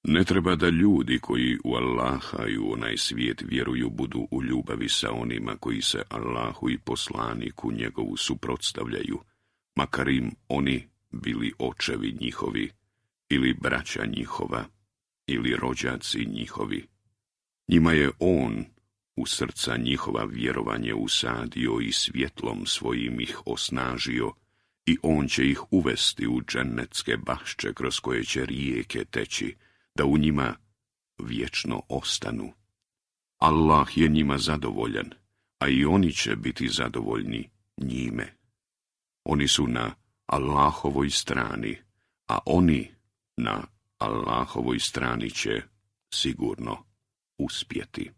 Ne treba da ljudi koji u Allaha i u onaj svijet vjeruju budu u ljubavi sa onima koji se Allahu i poslaniku njegovu suprotstavljaju, makar im oni bili očevi njihovi, ili braća njihova, ili rođaci njihovi. Njima je on u srca njihova vjerovanje usadio i svjetlom svojim ih osnažio, i on će ih uvesti u džennetske bašče kroz koje će rijeke teći, da u njima vječno ostanu. Allah je njima zadovoljan, a i oni će biti zadovoljni njime. Oni su na Allahovoj strani, a oni na Allahovoj strani će sigurno uspjeti.